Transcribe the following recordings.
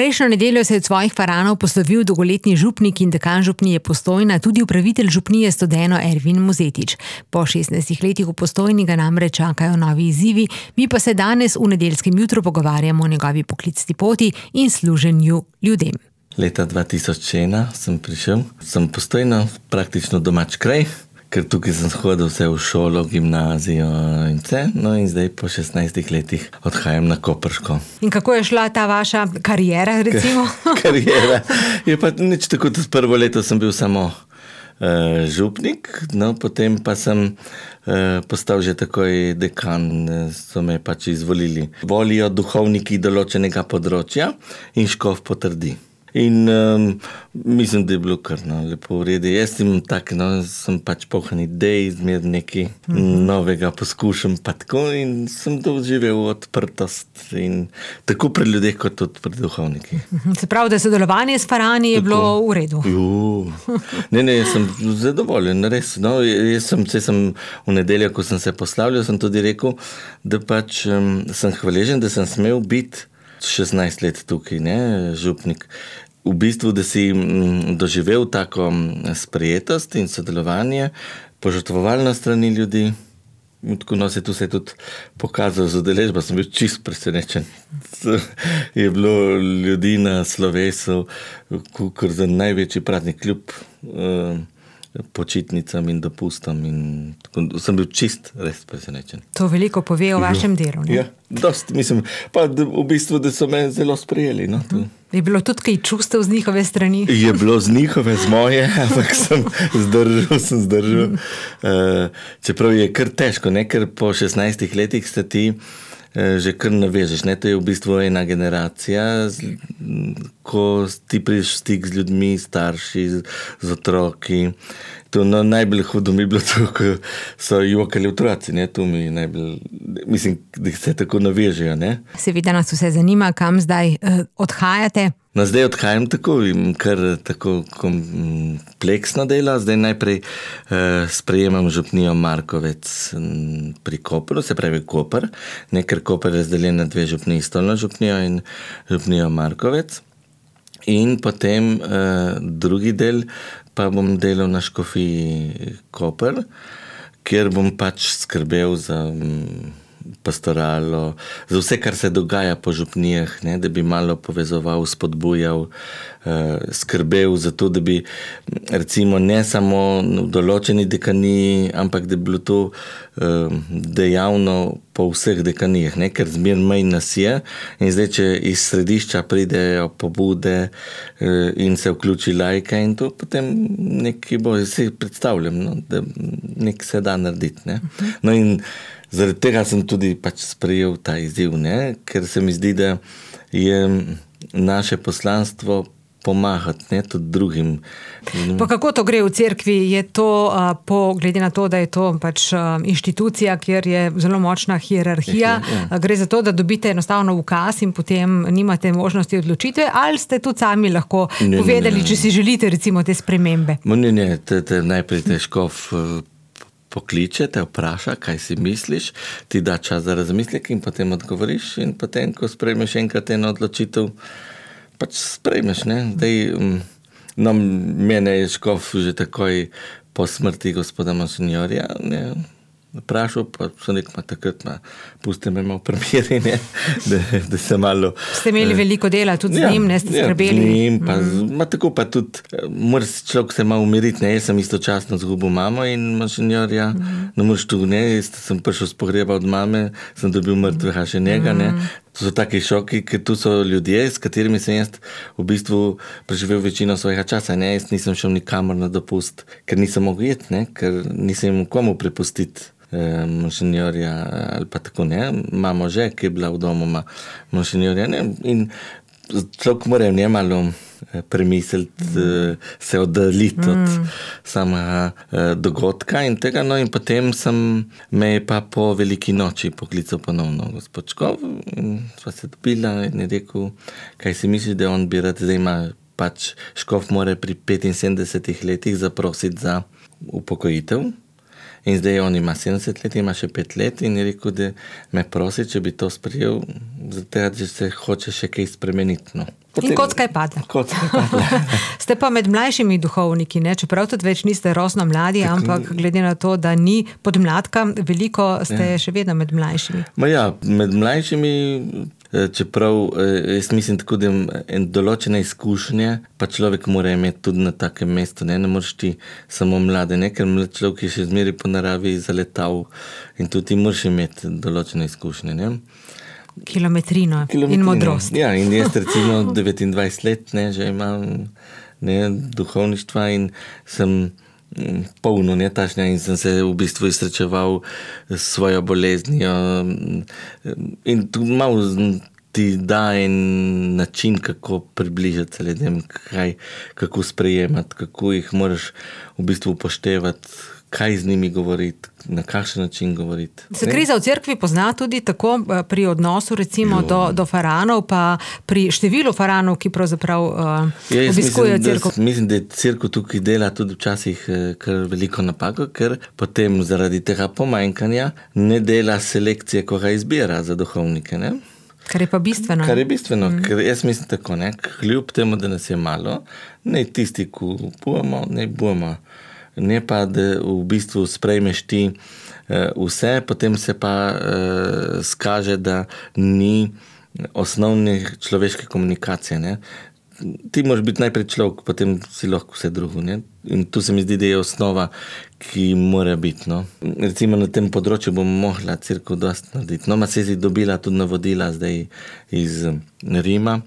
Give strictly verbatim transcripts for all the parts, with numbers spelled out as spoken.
Prejšnjo nedeljo se je od svojih paranov poslovil dolgoletni župnik in dekan župnije Postojna, tudi upravitelj župnije Studeno Ervin Mozetič. Po šestnajstih letih v Postojni ga namreč čakajo novi izzivi, mi pa se danes v nedeljskem jutru pogovarjamo o njegovi poklicni poti in služenju ljudem. Leta dva tisoč ena sem prišel, sem Postojna praktično domač kraj, ker tukaj sem hodil vse v šolo, gimnazijo in vse, no in zdaj po šestnajstih letih odhajam na Koprško. In kako je šla ta vaša kariera, recimo? Kariera. Je pa nič tako, da prvo leto sem bil samo uh, župnik, no potem pa sem uh, postal že takoj dekan, so me pač izvolili. Volijo duhovniki določenega področja in škof potrdi. In um, mislim, da je bilo kar no, lepo v redu. Jaz sem tak, no, sem pač poln idej, zmer nekaj mm-hmm. novega poskušam pa tako in sem doživel odprtost in tako pred ljudeh kot tudi pred duhovniki. Mm-hmm. Se pravi, da sodelovanje s parani je tako bilo v redu? Ju. Ne, ne, jaz sem zadovoljen, res. No, jaz sem, sem v nedeljo, ko sem se poslavljal, sem tudi rekel, da pač um, sem hvaležen, da sem smel biti šestnajst let tukaj, ne, župnik. V bistvu, da si m, doživel tako sprejetost in sodelovanje, požrtvovalno strani ljudi. Tako no, se tu se je tudi pokazal z udeležbo, sem bil čist presenečen. Je bilo ljudi na slovesu, kot za največji praznik kljub uh, počitnicam in dopustom in tako, sem bil čist res presenečen. To veliko pove o vašem delu, ne? Ja, dost, mislim, pa v bistvu, da so me zelo sprejeli, no. Uh-huh. Je bilo tudi kaj čustev z njihove strani? Je bilo z njihove, z moje, ampak sem zdržal, sem zdržal. Uh, čeprav je kar težko, ne, ker po šestnajstih letih se ti že kar navežeš, ne, to je v bistvu ena generacija, ko ti prideš v stik z ljudmi, starši, z, z otroki. To no, najbolj hudo mi je bilo to, ko so jokali otroci, ne, to mi najbolj, mislim, da se tako navežejo, ne. Seveda nas vse zanima, kam zdaj eh, odhajate. No, zdaj odhajam tako, kar tako kompleksno delo. Zdaj najprej eh, sprejemam župnijo Markovec pri Kopru, se pravi Koper, ne, ker Koper je razdeljen na dve župniji, Stolno župnijo in župnijo Markovec. In potem eh, drugi del pa bom delal na škofiji Koper, kjer bom pač skrbel za m, pastoralo, za vse, kar se dogaja po župnijah, ne, da bi malo povezoval, spodbujal, eh, skrbel za to, da bi recimo ne samo v določeni dekaniji, ampak da bi bilo to eh, dejavno po vseh dekanijah, ne, ker zmer manj nas je in zdaj, če iz središča pridejo pobude eh, in se vključi lajka in to potem nekaj bo, si predstavljam, no, da nekaj se da narediti, ne. No in zaradi tega sem tudi pač sprejel ta izziv, ne? Ker se mi zdi, da je naše poslanstvo pomagati, ne, tudi drugim. Pa kako to gre v cerkvi? Je to, uh, po, glede na to, da je to pač uh, inštitucija, kjer je zelo močna hierarhija, ja, ja. Gre za to, da dobite enostavno ukaz in potem nimate možnosti odločitve, ali ste tudi sami lahko ne, povedali, ne, ne. Če si želite recimo te spremembe? Ne, ne, te, te najprej te škof pokliče, te vpraša, kaj si misliš, ti da čas za razmislek in potem odgovoriš in potem, ko sprejmeš enkrat eno odločitev, pač sprejmeš, ne. Zdaj, no, mene je škof že takoj po smrti gospoda monsinjorja, ne, vprašal, pa so nek ma takrat ma, puste me malo premjeri, ne, da, da se malo... Ste imeli eh, veliko dela tudi ja, z njim, ne, ste ja, skrbeli? Z njim, pa, mm. ma tako pa tudi, mora človek se malo umiriti, ne, jaz sem istočasno zgubil mamo in monsinjorja, mm. no moraš tu, ne, jaz sem prišel s pogreba od mame, sem dobil mrtvega še njega, mm. ne, to so taki šoki, ker tu so ljudje, s katerimi sem jaz v bistvu preživel večino svojega časa, ne, jaz nisem šel nikamor na dopust, ker nisem mogel jeti, ne, ker nisem imel komu prepustiti monsinjorja ali pa tako, ne, mamo že, ki je bila v domu monsinjorja, ne, in človek mora v njem malo premisliti, mm. se oddaljiti mm. od samega dogodka in tega, no in potem sem me je pa po veliki noči poklical ponovno gospod Škof in sva se dobila in je rekel, kaj si misliš, da on bi rad, zdaj ima pač Škof mora pri petinsedemdesetih letih zaprositi za upokojitev In zdaj on ima sedemdeset let, ima še pet let in je rekel, da me prosi, če bi to sprejel, zato da se hoče še kaj spremeniti. No. Potem, in kocka je padla. Kocka je padla. Ste pa med mlajšimi duhovniki, ne? Čeprav tudi več niste rosno mladi, tako, ampak glede na to, da ni podmladka, veliko ste ja. še vedno med mlajšimi. Ma ja, med mlajšimi, čeprav jaz mislim tako, da en določene izkušnje, pa človek mora imeti tudi na takem mestu, ne, ne moreš ti samo mlade, ne, ker mlad človek je še zmeri po naravi zaletal in tudi ti moraš imeti določene izkušnje, ne. Kilometrino, Kilometrino in modrost. Ja, in jaz recimo devetindvajset let, ne, že imam ne, duhovništva in sem polno netašnja in sem se v bistvu izsrečeval s svojo boleznijo in tudi malo ti da en način, kako približati se ljudem, kaj, kako sprejemati, kako jih moraš v bistvu upoštevati, kaj z njimi govoriti, na kakšen način govoriti. Se kriza v cerkvi pozna tudi tako pri odnosu recimo do, do faranov, pa pri številu faranov, ki pravzaprav uh, ja, obiskujejo cerkev. Mislim, da cerkev tukaj dela tudi včasih kar veliko napako, ker potem zaradi tega pomanjkanja ne dela selekcije, ko ga izbira za duhovnike, ne? Kar je pa bistveno. Kar je bistveno, mm. ker jaz mislim tako, ne, kljub temu, da nas je malo, ne tisti, ko bujemo, ne bujemo. Ne pa, da v bistvu sprejmeš ti uh, vse, potem se pa uh, skaže, da ni osnovne človeške komunikacije. Ne? Ti moraš biti najprej človek, potem si lahko vse drugo. Ne? In tu se mi zdi, da je osnova, ki mora biti. No? Recimo na tem področju bom mohla cerkev dosti narediti. No, ma se je dobila tudi navodila zdaj iz Rima,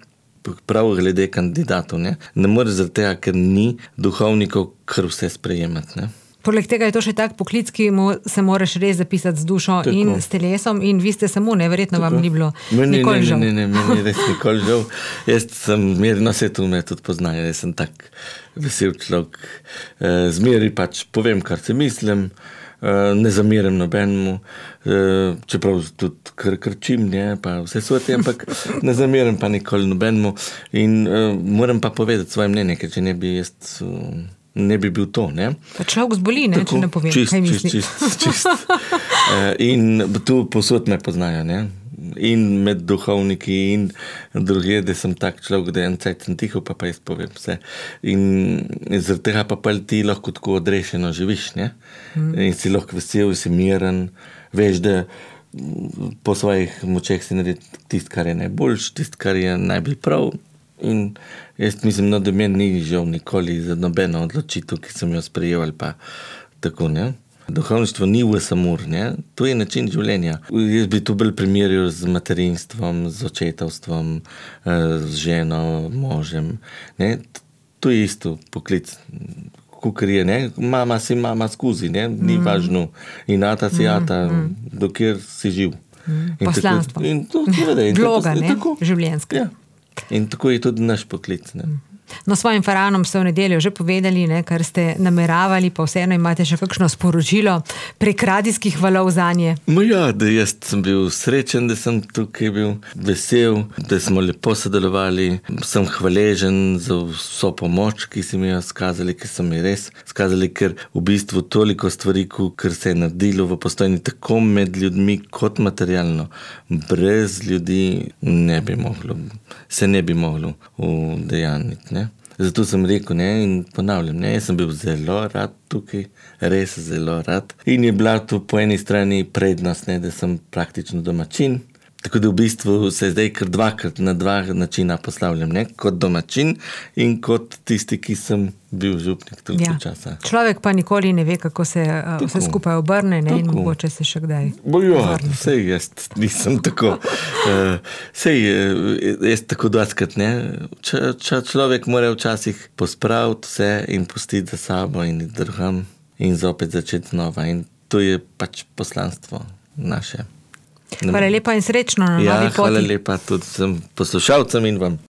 prav glede kandidatov. Ne, ne moreš zaradi tega, ker ni duhovnikov, kar vse sprejemati. Ne. Poleg tega je to še tak poklic, ki mu se moraš res zapisati z dušo tako. In s telesom in vi ste samo, neverjetno vam ni bilo meni, nikoli žal. Ne, ne, ne, meni res nikoli žal. Jaz sem mirno, se tu me tudi poznajo, jaz sem tak vesel človek. Zmeri pač povem, kar se mislim, ne zamiram nobenemu, čeprav tudi kar krčim, ne, pa vse sveti, ampak ne zamiram pa nikoli nobenemu in moram pa povedati svoje mnenje, ker če ne bi jaz ne bi bil to, ne. Pa človek zboli, ne, tako, če ne povem, čist, kaj misli. Čist, čist, čist. In tu posod me poznajo, ne. In med duhovniki in druge, da sem tak človek, da en cajt sem tiho, pa pa jaz povem vse. In zaradi tega pa pa ti lahko tako odrešeno živiš, ne? Mm. In si lahko vesel, si miren, veš, da po svojih močeh si naredi tist, kar je najboljš, tist, kar je najbolj prav. In jaz mislim, no, da meni ni žal nikoli za nobeno odločitev, ki sem jo sprejel ali pa tako, ne? Duhovništvo ni v samur, ne? To je način življenja. Jaz bi to bolj primerjal z materinstvom, z očetovstvom, z ženo, možem. Ne? To je isto poklic. Kukor je, ne? Mama si mama skozi, ne? Ni mm. važno. In ata si ata, mm, mm. dokjer si živ. Mm. Poslanstvo. In to, in vloga, ne? Življenjska. Ja. In tako je tudi naš poklic, ne? Mm. No, svojim faranom ste v nedeljo že povedali, ne, kar ste nameravali, pa vseeno imate še kakšno sporočilo prek radijskih valov zanje. No ja, da jaz sem bil srečen, da sem tukaj bil vesel, da smo lepo sodelovali. Sem hvaležen za vso pomoč, ki si mi jo skazali, ki so mi res skazali, ker v bistvu toliko stvari, ker se je naredilo v Postojni, tako med ljudmi kot materialno. Brez ljudi ne bi moglo, se ne bi moglo udejaniti, ne. Zato sem rekel, ne, in ponavljam, ne, jaz sem bil zelo rad tukaj, res zelo rad. In je bila tu po eni strani prednost, ne, da sem praktično domačin. Tako da v bistvu se zdaj kar dvakrat na dva načina poslavljam, ne, kot domačin in kot tisti, ki sem bil župnik toliko ja. časa. Človek pa nikoli ne ve, kako se tako. Vse skupaj obrne, ne, in mogoče se še kdaj Bojo, sej jaz nisem tako. uh, sej jaz tako doskrat, ne. Č, č, človek mora včasih pospraviti vse in pustiti za sabo in drugam in zopet začeti znova. In to je pač poslanstvo naše. Hvala lepa in srečno na ja, novi poti. Hvala lepa tudi vsem poslušalcem in vam.